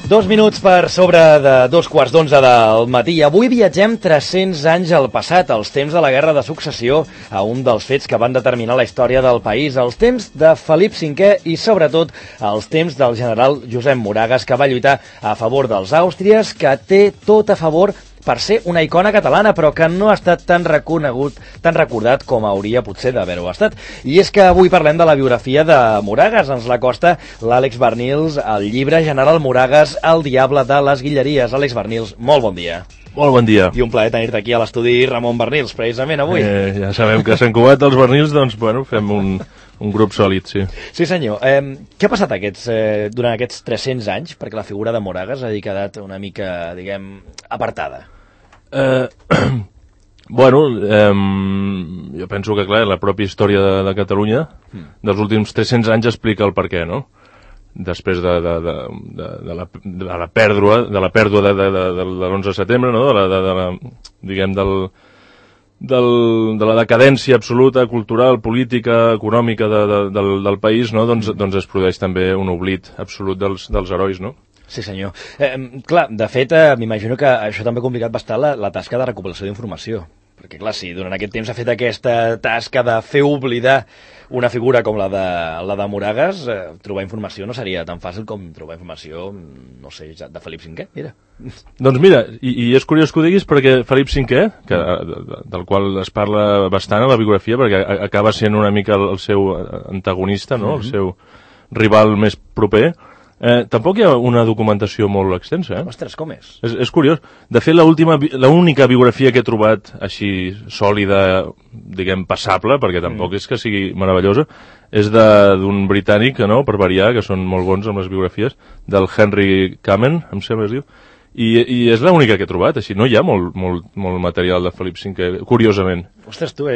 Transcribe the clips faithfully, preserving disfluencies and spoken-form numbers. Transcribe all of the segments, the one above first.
Dos minuts per sobre de dos quarts d'onze del matí. Avui viatgem tres-cents anys al passat, als temps de la Guerra de Successió, a un dels fets que van determinar la història del país, als temps de Felip cinquè i, sobretot, als temps del general Josep Moragues, que va lluitar a favor dels àustries, que té tot a favor per ser una icona catalana, però que no ha estat tan reconegut, tan recordat com hauria potser d'haver-ho estat. I és que avui parlem de la biografia de Moragues. Ens l'acosta l'Àlex Barnils, el llibre General Moragues, el diable de les Guilleries. Àlex Barnils, molt bon dia. Molt bon dia. I un plaer tenir-te aquí a l'estudi Ramon Barnils, precisament avui. Eh, ja sabem que s'han cubat els Barnils, doncs, bueno, fem un, un grup sòlid, sí. Sí, senyor. Eh, què ha passat aquests, eh, durant aquests tres-cents anys? Perquè la figura de Moragues ha quedat una mica, diguem, apartada. Eh, bueno, eh, jo penso que, clar, la pròpia història de, de Catalunya mm. dels últims tres-cents anys explica el perquè, no? Després de, de, de, de, de, la, de la pèrdua de la pèrdua de, de, de, de, de l'onze de setembre, no? De la, de, de la, diguem, del, del, de la decadència absoluta, cultural, política, econòmica de, de, del, del país, no? Doncs, doncs es produeix també un oblit absolut dels, dels herois, no? Sí, senyor. Eh, clar, de fet, eh, m'imagino que això també ha complicat bastant la, la tasca de recopilació d'informació. Perquè, clar, si durant aquest temps s'ha fet aquesta tasca de fer oblidar una figura com la de, la de Moragues, eh, trobar informació no seria tan fàcil com trobar informació, no sé, de Felip cinquè, mira. Doncs mira, i, i és curiós que ho diguis perquè Felip cinquè, que, del qual es parla bastant a la biografia, perquè acaba sent una mica el, el seu antagonista, no? Mm-hmm. El seu rival més proper, Eh, tampoc hi ha una documentació molt extensa, eh? Ostres, com és? És, és curiós. De fet, l'única biografia que he trobat així sòlida, diguem, passable, perquè tampoc mm. és que sigui meravellosa, és d'un britànic, no?, per variar, que són molt bons amb les biografies, del Henry Kamen, em sembla que es diu, i, i és l'única que he trobat, així. No hi ha molt, molt, molt material de Felip cinquè, curiosament. Ostres, tu,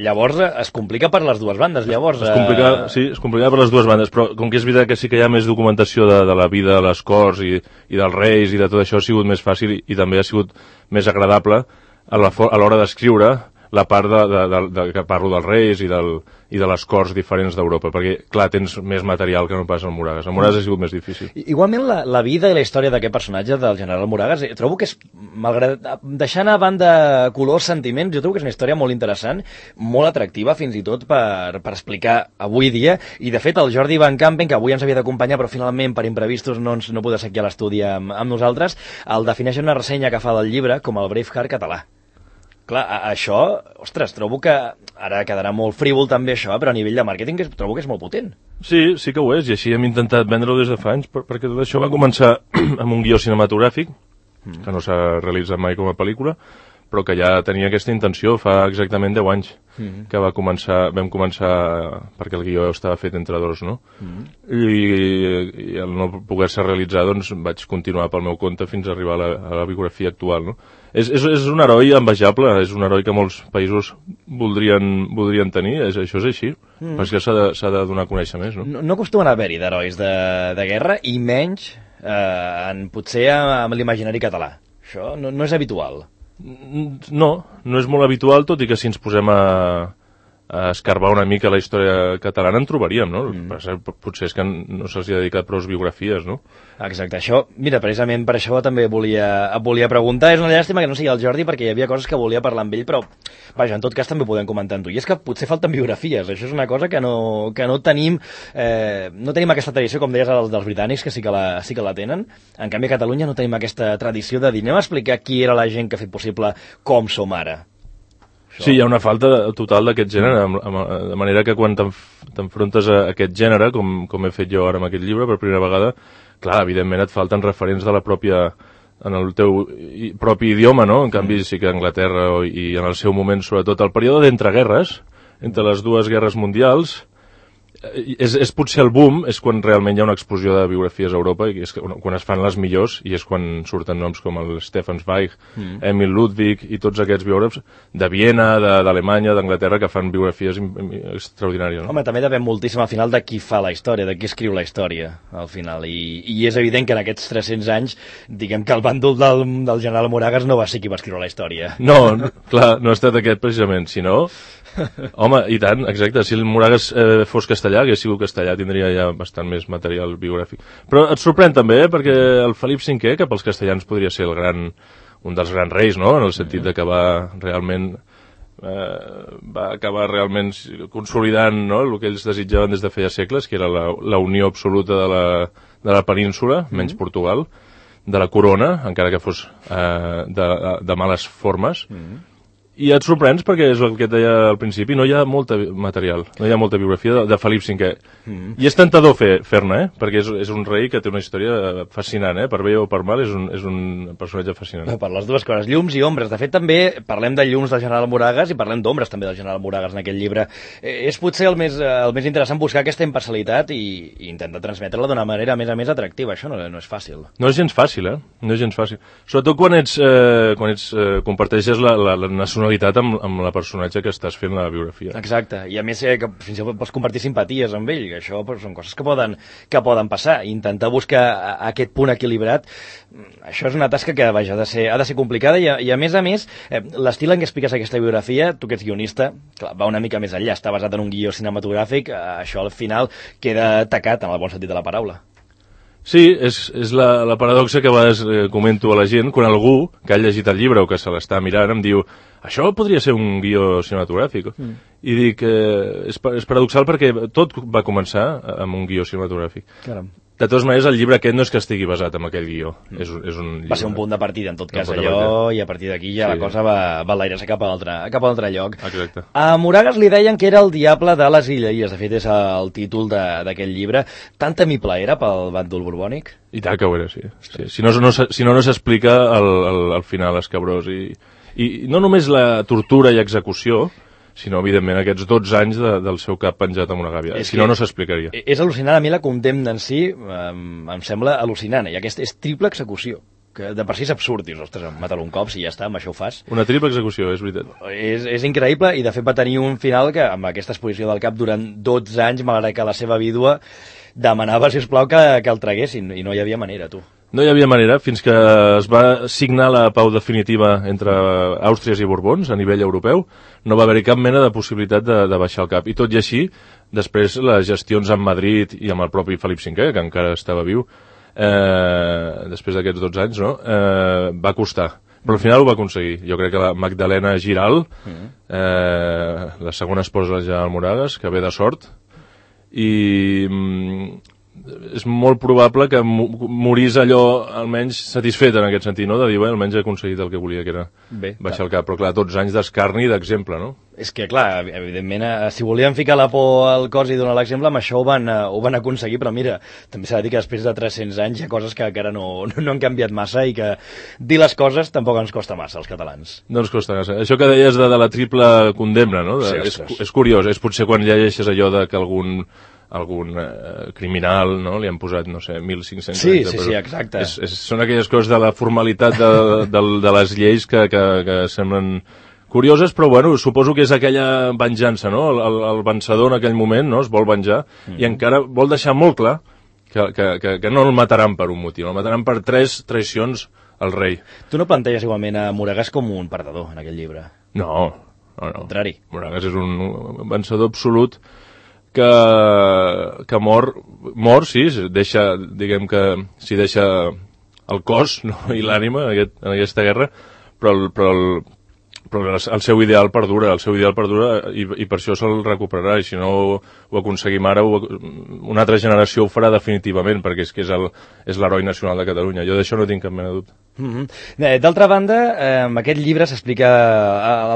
llavors es complica per les dues bandes, llavors... Es complica, eh... sí, es complica per les dues bandes, però com que és veritat que sí que hi ha més documentació de, de la vida a les corts i, i dels reis i de tot això, ha sigut més fàcil i, i també ha sigut més agradable a l'hora d'escriure la part de, de, de, de, que parlo dels reis i, del, i de les corts diferents d'Europa, perquè, clar, tens més material que no pas al Moragues. El Moragues ha sigut més difícil. Igualment, la, la vida i la història d'aquest personatge, del general Moragues, trobo que és, malgrat deixant a banda colors, sentiments, jo trobo que és una història molt interessant, molt atractiva, fins i tot per, per explicar avui dia, i de fet el Jordi Van Campen, que avui ens havia d'acompanyar, però finalment per imprevistos no, ens, no podia ser aquí a l'estudi amb, amb nosaltres, el defineix en una ressenya que fa del llibre com el Braveheart català. Clar, això, ostres, trobo que ara quedarà molt frívol també això, però a nivell de màrqueting trobo que és molt potent. Sí, sí que ho és, i així hem intentat vendre-ho des de fa anys, perquè tot això va començar amb un guió cinematogràfic, mm. que no s'ha realitzat mai com a pel·lícula, però que ja tenia aquesta intenció fa exactament deu anys, mm. que va començar, vam començar, perquè el guió estava fet entre dos, no? Mm. I, i al no poder-se realitzar, doncs vaig continuar pel meu compte fins a arribar a la, a la biografia actual, no? És, és, és un heroi envejable, és un heroi que molts països voldrien, voldrien tenir, és, això és així, mm. però és que s'ha de, s'ha de donar a conèixer més, no? No, no acostumen a haver-hi d'herois de, de guerra, i menys eh, en, potser amb l'imaginari català. Això no, no és habitual. No, no és molt habitual, tot i que si ens posem a, a escarbar una mica la història catalana en trobaríem, no? Mm. Potser és que no se'ls ha dedicat prou biografies, no? Exacte, això, mira, precisament per això també volia, volia preguntar, és una llàstima que no sigui el Jordi perquè hi havia coses que volia parlar amb ell, però vaja, en tot cas també ho podem comentar amb tu, i és que potser falten biografies, això és una cosa que no, que no tenim, eh, no tenim aquesta tradició, com deies, dels, dels britànics, que sí que, la, sí que la tenen, en canvi a Catalunya no tenim aquesta tradició de dir, anem a explicar qui era la gent que ha fet possible com som ara. Això. Sí, hi ha una falta total d'aquest gènere, de manera que quan t'enfrontes a aquest gènere, com, com he fet jo ara amb aquest llibre per primera vegada, clar, evidentment et falten referents de la pròpia, en el teu propi idioma, no? En canvi, sí que a Anglaterra i en el seu moment, sobretot, el període d'entreguerres, entre les dues guerres mundials, és, és potser el boom, és quan realment hi ha una explosió de biografies a Europa, i és quan es fan les millors, i és quan surten noms com el Stefan Zweig, mm. Emil Ludwig, i tots aquests biògrafs de Viena, d'Alemanya, d'Anglaterra, que fan biografies extraordinàries. No? Home, també depèn moltíssim al final de qui fa la història, de qui escriu la història, al final, i, i és evident que en aquests tres-cents anys, diguem que el bàndol del, del general Moragues no va ser qui va escriure la història. No, no clar, no ha estat aquest precisament, sinó Home, i tant, exacte. Si el Moragas eh, fos castellà, hagués sigut castellà, tindria ja bastant més material biogràfic. Però et sorprèn també, eh, perquè el Felip cinquè, que pels castellans podria ser el gran, un dels grans reis, no?, en el sentit de que va realment... Eh, va acabar realment consolidant, no?, el que ells desitjaven des de feia segles, que era la, la unió absoluta de la, de la península, menys mm. Portugal, de la corona, encara que fos eh, de, de males formes. Mm. I et sorprens perquè és el que et deia al principi, no hi ha molta material, no hi ha molta biografia de, de Felip cinquè. Mm. I és tentador fer, fer-ne, eh? Perquè és, és un rei que té una història fascinant, eh? Per bé o per mal, és un, és un personatge fascinant. Per les dues coses, llums i ombres. De fet, també parlem de llums del general Moragas i parlem d'ombres també del general Moragas en aquest llibre. Eh, és potser el més, el més interessant buscar aquesta imparcialitat i, i intentar transmetre-la d'una manera més a més atractiva. Això no, no és fàcil. No és gens fàcil, eh? No és gens fàcil. Sobretot quan ets, eh, quan ets eh, comparteixes la, la, la nacionalitat amb, amb la personatge que estàs fent la biografia. Exacte, i a més eh, que fins i tot pots compartir simpaties amb ell, que això pues, són coses que poden, que poden passar, i intentar buscar aquest punt equilibrat, això és una tasca que vaja, ha de ser, ha de ser complicada, i a, i a més a més, eh, l'estil en què expliques aquesta biografia, tu que ets guionista, clar, va una mica més enllà, està basat en un guió cinematogràfic, eh, això al final queda tacat en el bon sentit de la paraula. Sí, és, és la, la paradoxa que a vegades eh, comento a la gent quan algú que ha llegit el llibre o que se l'està mirant em diu això podria ser un guió cinematogràfic. Mm. I dic, eh, és, és paradoxal perquè tot va començar amb un guió cinematogràfic. Caram. De totes maneres, el llibre aquest no és que estigui basat en aquell guió. Mm. És, és un llibre... Va ser un punt de partida, en tot cas, allò, i a partir d'aquí ja sí. La cosa va, va enlairar-se cap a l'altre cap a l'altre lloc. Exacte. A Moragas li deien que era el diable de les Illes. De fet, és el títol d'aquest llibre. Tan temible era pel bàndol borbònic? I tant que ho era, sí. sí. Si no, no, si no, no s'explica al, al, al final escabrós. I, I no només la tortura i execució, sinó, evidentment, aquests dotze anys de, del seu cap penjat amb una gàbia. Si no, no s'explicaria. És al·lucinant. A mi la condemna en si em, em sembla al·lucinant. I aquesta és triple execució, que de per si és absurd. Dius, ostres, mata-lo un cop, si ja està, amb això ho fas. Una triple execució, és veritat. És, és increïble, i de fet va tenir un final que, amb aquesta exposició del cap durant dotze anys, malgrat que la seva vídua demanava, sisplau, que, que el traguessin, i no hi havia manera, tu. No hi havia manera, fins que es va signar la pau definitiva entre Àustries i Borbons a nivell europeu, no va haver-hi cap mena de possibilitat de, de baixar el cap. I tot i així, després les gestions amb Madrid i amb el propi Felip cinquè, que encara estava viu, eh, després d'aquests dotze anys, no? eh, va costar. Però al final ho va aconseguir. Jo crec que la Magdalena Giral, eh, la segona esposa del general Moragas, que ve de sort, i... és molt probable que morís allò almenys satisfet en aquest sentit, no? De dir, bé, almenys he aconseguit el que volia, que era Bé, baixar clar. el cap, però clar, dotze anys d'escarni i d'exemple, no? És que, clar, evidentment, si volien ficar la por al cos i donar l'exemple, amb això ho van, ho van aconseguir, però mira, també s'ha de dir que després de tres-cents anys hi ha coses que encara no, no han canviat massa, i que dir les coses tampoc ens costa massa, als catalans. No ens costa massa. Això que deies de, de la triple condemna, no? De, sí, és, és curiós, és potser quan llegeixes allò de que algun algun eh, criminal, no? Li han posat, no sé, mil cinc-cents sí, anys de presó. Sí, sí, exacte. És, és, són aquelles coses de la formalitat de, de, de les lleis que, que, que semblen curioses, però bueno, suposo que és aquella venjança, no? El, el, el vencedor en aquell moment, no?, es vol venjar, mm. i encara vol deixar molt clar que, que, que, que no el mataran per un motiu, el mataran per tres traicions al rei. Tu no planteges igualment a Moragas com un perdedor en aquest llibre? No, no, no. Al contrari. Moragas és un vencedor absolut que, que mor, mor, sí, deixa, diguem que s'hi deixa el cos, no?, i l'ànima en, aquest, en aquesta guerra, però el, però el, però el seu ideal perdura, el seu ideal perdura i, i per això se'l recuperarà, i si no ho, ho aconseguim ara, ho, una altra generació ho farà definitivament, perquè és que és el, és l'heroi nacional de Catalunya. Jo d'això no tinc cap mena de dubte. Mm-hmm. D'altra banda, eh, aquest llibre s'explica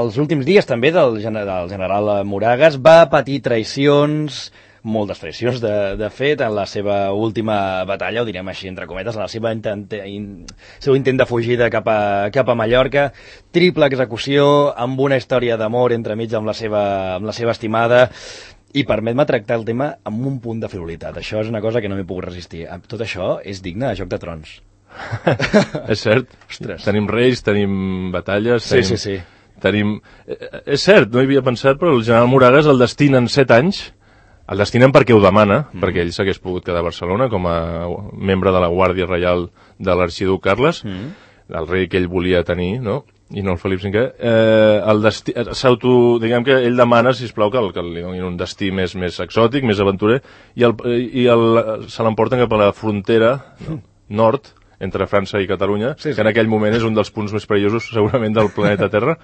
als últims dies també del, del general Moragas, va patir traïcions, moltes traïcions, de, de fet, en la seva última batalla, ho direm així entre cometes, en la seva intent, in, seu intent de fugida cap a, cap a Mallorca, triple execució, amb una història d'amor entremig amb la seva, amb la seva estimada, i permet-me tractar el tema amb un punt de frivolitat. Això és una cosa que no m'he pogut resistir. Tot això és digne de Joc de Trons. És cert. Ostres. Tenim reis, tenim batalles... Sí, tenim, sí, sí. Tenim... És cert, no hi havia pensat, però el general Moragas el destinen set anys. El destinen perquè ho demana, mm. perquè ell s'hagués pogut quedar a Barcelona com a membre de la Guàrdia Reial de l'arxiduc Carles, mm. el rei que ell volia tenir, no? i no el Felip cinquè, eh, el destí, s'auto, diguem que ell demana, sisplau, que, el, que li donin un destí més, més exòtic, més aventurer, i, el, i el, se l'emporten cap a la frontera no, nord, entre França i Catalunya, sí, sí. que en aquell moment és un dels punts més perillosos, segurament, del planeta Terra,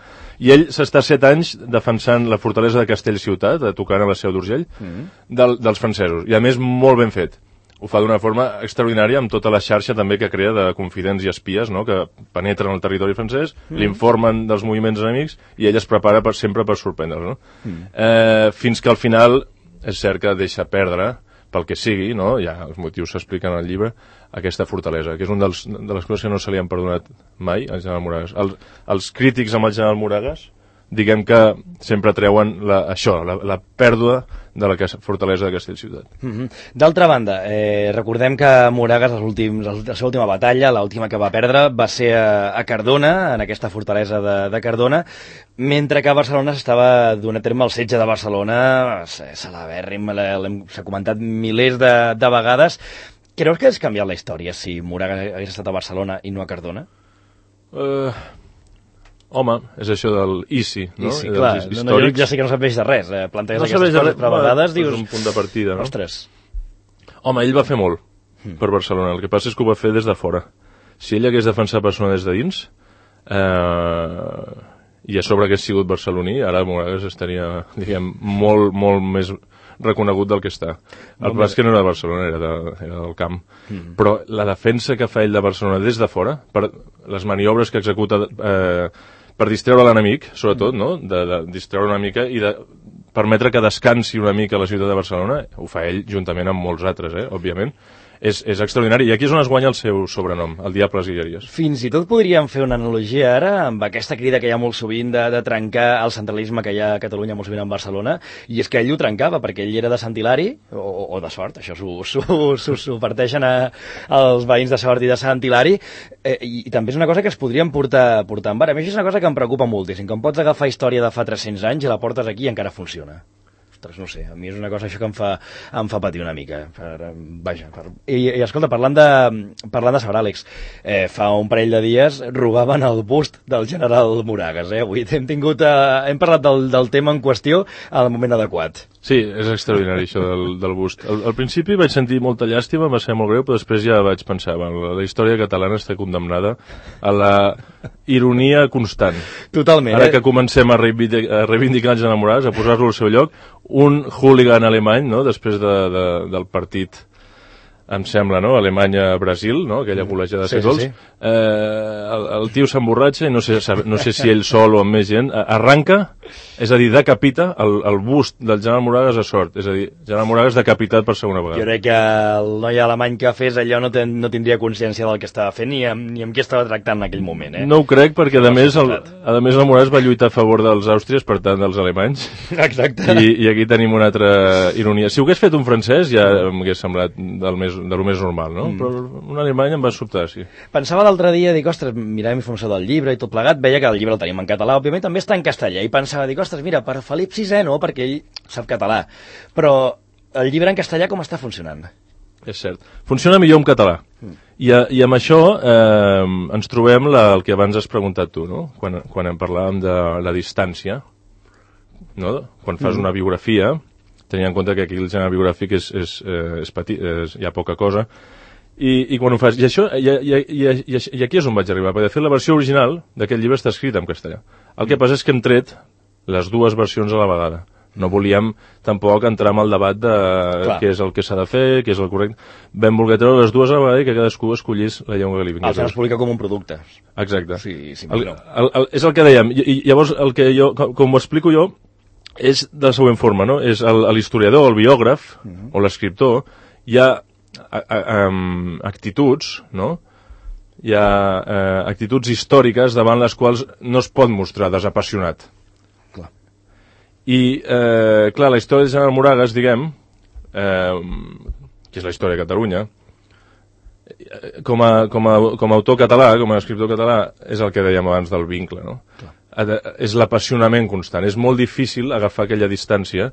i ell s'està set anys defensant la fortalesa de Castellciutat, tocant a la Seu d'Urgell, mm. del, dels francesos, i a més molt ben fet. Ho fa d'una forma extraordinària amb tota la xarxa també que crea de confidents i espies, no?, que penetren al territori francès, mm. l'informen dels moviments enemics i ell es prepara per, sempre per sorprendre'ls, no? Mm. Eh, fins que al final és cert que deixa perdre, pel que sigui, no?, ja els motius s'expliquen al llibre, aquesta fortalesa, que és una de les coses que no se li han perdonat mai al general Moragues. El, els crítics amb el general Moragues, diguem que sempre treuen la, això, la, la pèrdua de la fortalesa de Castellciutat. Mm-hmm. D'altra banda, eh, recordem que Moragues, els últims, la seva última batalla, l'última que va perdre, va ser a, a Cardona, en aquesta fortalesa de, de Cardona, mentre que a Barcelona s'estava donant a terme el setge de Barcelona, celebèrrim, s'ha comentat milers de, de vegades. Creus que has canviat la història si Moragues hagués estat a Barcelona i no a Cardona? Eh... Uh... Home, és això del I C I, no? I C I, clar, no, no, jo ja sé que no serveix de res, eh? planteges no aquestes coses, però a vegades dius... És un punt de partida, no? Ostres. Home, ell va fer molt mm. per Barcelona, el que passa és que ho va fer des de fora. Si ell hagués defensat Barcelona des de dins, eh, i a sobre hagués sigut barceloní, ara Moragues estaria, diguem, molt, molt més reconegut del que està. El no, pas que no era de Barcelona, era, de, era del camp. Mm. Però la defensa que fa ell de Barcelona des de fora, per les maniobres que executa... Eh, per distreure l'enemic, sobretot, no? De, de distreure una mica i de permetre que descansi una mica la ciutat de Barcelona, ho fa ell juntament amb molts altres, eh? Òbviament. És, és extraordinari. I aquí és on es guanya el seu sobrenom, el Diables Guilleries. Fins i tot podríem fer una analogia ara amb aquesta crida que hi ha molt sovint de, de trencar el centralisme que hi ha a Catalunya molt sovint en Barcelona, i és que ell ho trencava, perquè ell era de Sant Hilari, o, o de Sort, això s'ho parteixen a, als veïns de Sort i de Sant Hilari, eh, i, i també és una cosa que es podrien portar, portar en bar. A mi això és una cosa que em preocupa moltíssim, que em pots agafar història de fa tres-cents anys i la portes aquí i encara funciona. No sé, a mi és una cosa això que em fa, em fa patir una mica. Per, vaja, per... I, i escolta, parlant de, parlant de Sort Àlex, eh, fa un parell de dies robaven el bust del general Moragues. Eh? Avui hem, tingut, eh, hem parlat del, del tema en qüestió al moment adequat. Sí, és extraordinari això del, del bust. Al, al principi vaig sentir molta llàstima, va ser molt greu, però després ja vaig pensar, bueno, la, la història catalana està condemnada a la ironia constant. Totalment. Ara eh? que comencem a reivindicar, a reivindicar els enamorats, a posar-lo al seu lloc, un hooligan alemany, no?, després de, de, del partit, em sembla, no?, Alemanya-Brasil, no?, aquella golejada de set gols, sí, sí. eh, el, el tio s'emborratxa i no sé, no sé si ell sol o amb més gent, arranca, és a dir, decapita el, el bust del general Moragues a Sort, és a dir, general Moragues decapitat per segona vegada. Jo crec que el noi alemany que fes allò no, ten, no tindria consciència del que estava fent ni amb, ni amb qui estava tractant en aquell moment, eh? No ho crec, perquè a més el, a més el Moragues va lluitar a favor dels àustries, per tant dels alemanys. Exacte. I, i aquí tenim una altra ironia. Si ho hagués fet un francès ja m'hagués semblat del més, de lo més normal, no? Mm. Però un alemany em va sobtar, sí. Pensava l'altre dia, dic, ostres, miràvem informació del llibre i tot plegat, veia que el llibre el tenim en català, òbviament també està en castellà, i pensava, dic, ostres, mira, per Felip sisè no, perquè ell sap català, però el llibre en castellà com està funcionant? És cert. Funciona millor en català. Mm. I, a, I amb això eh, ens trobem la, el que abans has preguntat tu, no? Quan, quan en parlàvem de la distància, no? Quan fas mm. una biografia, tenint en compte que aquí el gènere biogràfic és, és, eh, és petit, és, hi ha poca cosa, i, i quan ho fas... I, això, i, i, i, i, i aquí és on vaig arribar, perquè de fet la versió original d'aquest llibre està escrita en castellà. El que passa és que hem tret les dues versions a la vegada. No volíem tampoc entrar en el debat de Clar. què és el que s'ha de fer, què és el correcte. Vam voler treure les dues a la vegada i que cadascú escollís la llengua que li vingués. El es publica com un producte. Exacte. Sí, sí, el, el, el, és el que dèiem. I, i llavors, el que jo, com, com ho explico jo, és de la següent forma, no? És l'historiador, el biògraf, uh -huh. o l'escriptor, hi ha a, a, a, actituds, no?, hi ha eh, actituds històriques davant les quals no es pot mostrar desapassionat. Clar. I, eh, clar, la història de general Moragues, diguem, eh, que és la història de Catalunya, com a, com a, com a autor català, com a escriptor català, és el que dèiem abans del vincle, no? Clar. És l'apassionament constant. És molt difícil agafar aquella distància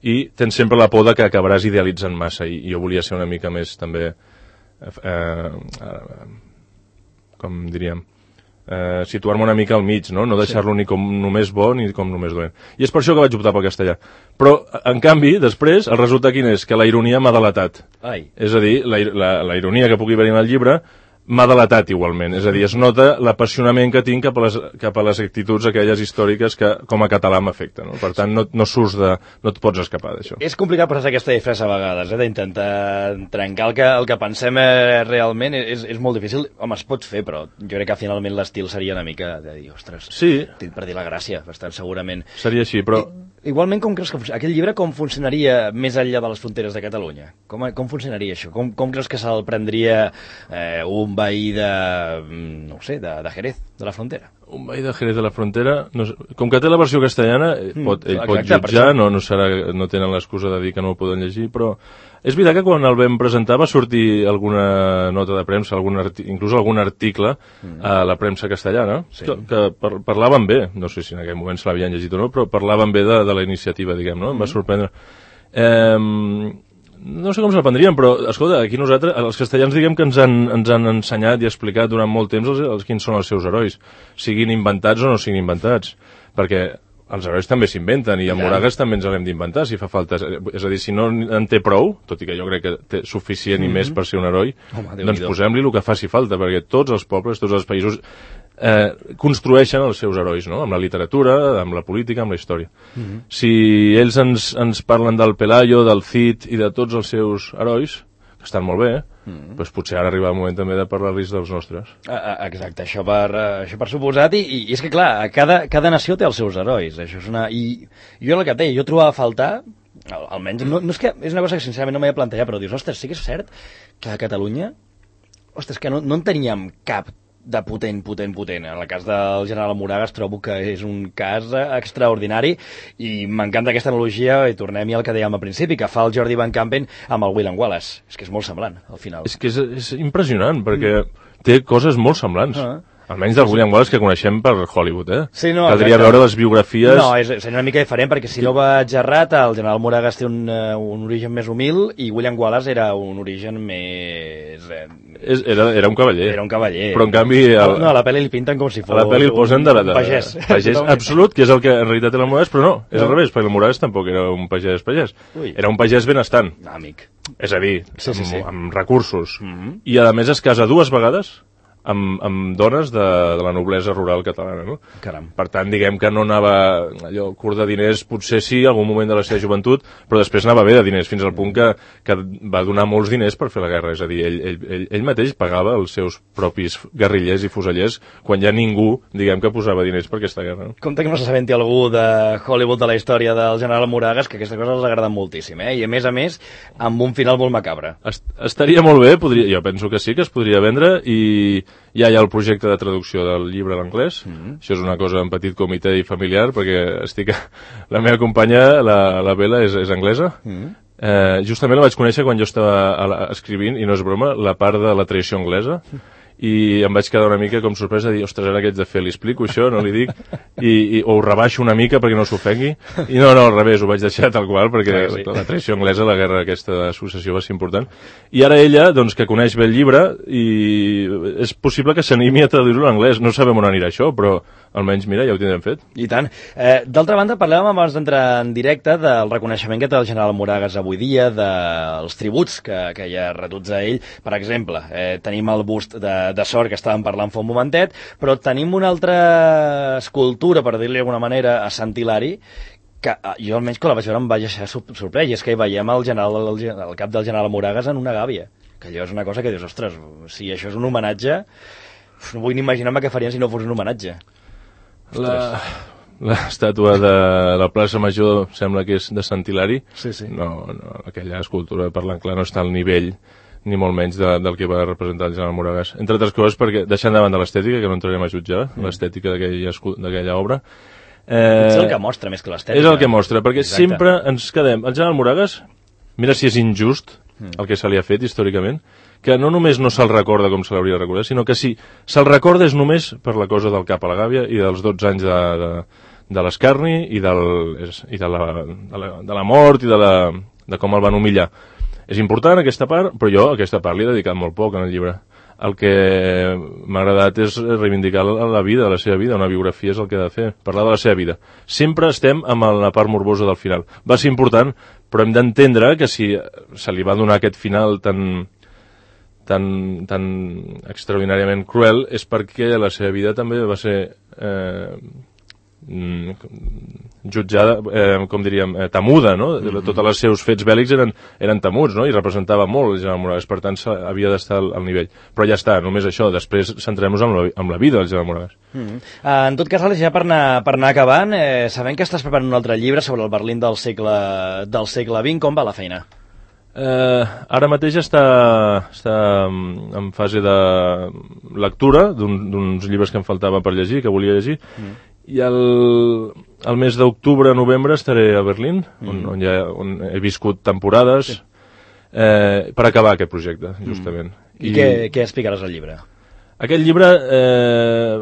i tens sempre la por de que acabaràs idealitzant massa, i, i jo volia ser una mica més també eh, eh, com diríem eh, situar-me una mica al mig, no, no deixar-lo ni com només bo ni com només dolent. I és per això que vaig optar pel castellà. Però, en canvi, després, el resultat quin és? Que la ironia m'ha delatat. Ai. És a dir, la, la, la ironia que pugui haver en el llibre m'ha delatat igualment, és a dir, es nota l'apassionament que tinc cap a les, cap a les actituds aquelles històriques que com a català m'afecten, no? Per tant, no, no surts de... no et pots escapar d'això. És complicat posar aquesta disfressa a vegades, eh, d'intentar trencar el que, el que pensem eh, realment, és, és molt difícil. Home, es pot fer, però jo crec que finalment l'estil seria una mica de dir, ostres, sí. Tinc per dir la gràcia, bastant segurament. Seria així, però... I, igualment, com creus que aquell llibre com funcionaria més enllà de les fronteres de Catalunya? Com, com funcionaria això? Com, com creus que se'l prendria eh, un veí de, no ho sé, de, de Jerez, de la frontera? Un veí de Jerez de la frontera, no sé, com que té la versió castellana, mm, pot, ell exacte, pot jutjar, no, no, serà, no tenen l'excusa de dir que no ho poden llegir, però és veritat que quan el vam presentar va sortir alguna nota de premsa, algun inclús algun article mm. a la premsa castellana, sí. que, que par parlaven bé, no sé si en aquell moment se l'havien llegit o no, però parlaven bé de, de la iniciativa, diguem, no? Em va sorprendre. Eh, no sé com se'l prendrien, però, escolta, aquí nosaltres, els castellans, diguem que ens han, ens han ensenyat i explicat durant molt temps els, els quins són els seus herois, siguin inventats o no siguin inventats, perquè els herois també s'inventen, i a Moragas també ens l'hem d'inventar, si fa falta. És a dir, si no en té prou, tot i que jo crec que té suficient mm -hmm. i més per ser un heroi, Home, doncs posem-li el que faci falta, perquè tots els pobles, tots els països eh, construeixen els seus herois, no? Amb la literatura, amb la política, amb la història. Mm -hmm. Si ells ens, ens parlen del Pelayo, del Cid i de tots els seus herois, que estan molt bé, mm. doncs potser ara arriba el moment també de parlar-los dels nostres. Exacte, això per, això per suposat, i, i és que clar, cada, cada nació té els seus herois, això és una... I jo el que té, jo trobava a faltar, almenys, no, no és que és una cosa que sincerament no m'he plantejat, però dius, ostres, sí que és cert que a Catalunya, ostres, que no, no en teníem cap de potent, potent, potent. En el cas del general Moragas trobo que és un cas extraordinari i m'encanta aquesta analogia, i tornem-hi al que dèiem al principi, que fa el Jordi Van Campen amb el William Wallace. És que és molt semblant, al final. És que és, és impressionant, perquè mm. té coses molt semblants. Ah. Almenys del William Wallace que coneixem per Hollywood, eh? Sí, no, caldria exacte. veure les biografies... No, és, és una mica diferent, perquè si no vaig errat, el general Moragas té un, uh, un origen més humil i William Wallace era un origen més... Eh, és, era, era un cavaller. Era un cavaller. Però, en canvi... El, no, a la pel·li li pinten com si fos... A la pel·li el posen de, de, de pagès. Pagès absolut, que és el que en realitat era el Moragas, però no, és no. al revés, perquè el Moragas tampoc era un pagès pagès. Ui. Era un pagès benestant. Amic. És a dir, sí, sí, amb, sí. amb recursos. Mm -hmm. I, a més, es casa dues vegades amb, amb dones de, de la noblesa rural catalana, no? Caram. Per tant, diguem que no anava allò curt de diners, potser sí, algun moment de la seva joventut, però després anava bé de diners, fins al punt que, que va donar molts diners per fer la guerra. És a dir, ell, ell, ell, ell mateix pagava els seus propis guerrillers i fusellers quan ja ningú, diguem, que posava diners per aquesta guerra. No? Compte que no s'assabenti algú de Hollywood de la història del general Moragas, que aquesta cosa els agrada moltíssim, eh? I a més a més, amb un final molt macabre. Est estaria molt bé, podria, jo penso que sí, que es podria vendre, i ja hi ha el projecte de traducció del llibre a l'anglès. Mm-hmm. Això és una cosa en petit comitè i familiar, perquè estic... la meva companya, la, la Bela, és, és anglesa. Mm-hmm. eh, justament la vaig conèixer quan jo estava a la, escrivint, i no és broma, la part de la tradició anglesa, i em vaig quedar una mica com sorpresa de dir, ostres, ara què haig de fer? Li explico això, no li dic? I, i, o ho rebaixo una mica perquè no s'ofengui? I no, no, al revés, ho vaig deixar tal qual, perquè sí, sí. la, la tradició anglesa, la guerra aquesta de successió va ser important. I ara ella, doncs, que coneix bé el llibre, i és possible que s'animi a traduir-lo en anglès. No sabem on anirà això, però almenys, mira, ja ho tindrem fet. I tant. Eh, D'altra banda, parlàvem abans d'entrar en directe del reconeixement que té el general Moragas avui dia, dels tributs que, que hi ha retuts a ell. Per exemple, eh, tenim el bust de, de Sort, que estàvem parlant fa un momentet, però tenim una altra escultura, per dir-li d'alguna manera, a Sant Hilari, que jo almenys quan la vaig veure em vaig deixar sorprès, i és que hi veiem el, general, el, el cap del general Moragas en una gàbia, que allò és una cosa que dius, ostres, si això és un homenatge, no vull ni imaginar-me què farien si no fos un homenatge. L'estàtua de la plaça Major sembla que és de Sant Hilari. Sí, sí. No, no, aquella escultura, parlant clar, no està al nivell ni molt menys de, del que va representar el general Moragas. Entre altres coses, perquè, deixant davant de l'estètica, que no entrarem a jutjar, mm. l'estètica d'aquella obra... Eh, és el que mostra, més que l'estètica. És el que mostra, perquè Exacte. sempre ens quedem... El general Moragas, mira si és injust mm. el que se li ha fet històricament, que no només no se'l recorda com se l'hauria de recordar, sinó que si se'l recorda és només per la cosa del cap a la gàbia i dels dotze anys de, de, de l'escarni i, del, i de, la, de, la, de la mort i de, la, de com el van humillar. És important aquesta part, però jo a aquesta part li he dedicat molt poc en el llibre. el que m'ha agradat és reivindicar la vida, la seva vida, una biografia és el que ha de fer, parlar de la seva vida. Sempre estem amb la part morbosa del final. Va ser important, però hem d'entendre que si se li va donar aquest final tan, tan, tan extraordinàriament cruel és perquè la seva vida també va ser eh, jutjada, eh, com diríem, eh, temuda, no? Mm-hmm. Tots els seus fets bèl·lics eren, eren temuts, no? I representava molt el general Moragas, per tant havia d'estar al, al nivell. Però ja està, només això, després centrem-nos en, la, en la vida del general Moragas. Mm-hmm. uh, en tot cas, Àlex, ja per anar, per anar acabant, eh, sabem que estàs preparant un altre llibre sobre el Berlín del segle, del segle vint, com va la feina? Eh, ara mateix està, està en fase de lectura d'uns llibres que em faltava per llegir, que volia llegir, mm. i el, el mes d'octubre, novembre estaré a Berlín, mm. on, on, ja, on he viscut temporades, sí. eh, per acabar aquest projecte, justament. Mm. I, I què, què explicaràs al llibre? Aquest llibre, eh,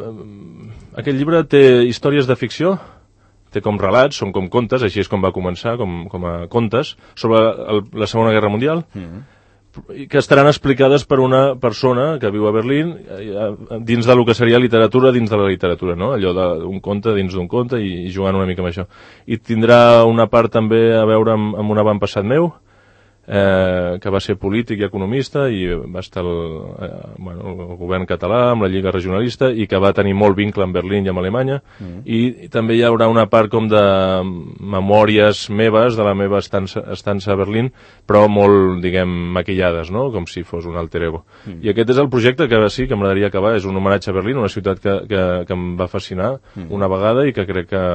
aquest llibre té històries de ficció, té com relats, són com contes, així és com va començar, com, com a contes, sobre el, la Segona Guerra Mundial, mm. que estaran explicades per una persona que viu a Berlín dins del que seria literatura dins de la literatura, no? Allò d'un conte dins d'un conte i, i jugant una mica amb això. I tindrà una part també a veure amb, amb un avantpassat meu, eh, que va ser polític i economista i va estar el, eh, bueno, el govern català amb la Lliga Regionalista i que va tenir molt vincle amb Berlín i amb Alemanya, mm. i, i també hi haurà una part com de memòries meves de la meva estança, estança a Berlín, però molt, diguem, maquillades, no? Com si fos un alter ego. Mm. I aquest és el projecte que sí que m'agradaria acabar, és un homenatge a Berlín, una ciutat que, que, que em va fascinar mm. una vegada i que crec que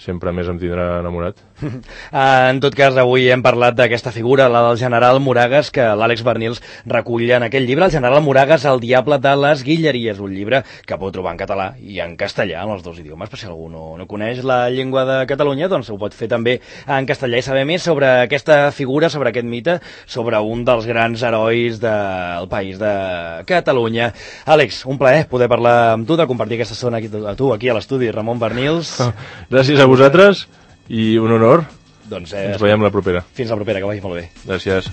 sempre més em tindrà enamorat. En tot cas, avui hem parlat d'aquesta figura, la del general Moragas, que l'Àlex Bernils recull en aquell llibre, El general Moragas, el diable de les Guilleries, un llibre que podeu trobar en català i en castellà, en els dos idiomes, per si algú no, no coneix la llengua de Catalunya, doncs ho pot fer també en castellà i saber més sobre aquesta figura, sobre aquest mite, sobre un dels grans herois del país de Catalunya. Àlex, un plaer poder parlar amb tu, de compartir aquesta estona aquí, a tu, aquí a l'estudi, Ramon Bernils. Gràcies a vosaltres i un honor. Doncs eh, ens veiem la propera. Fins la propera, que vagi molt bé. Gràcies.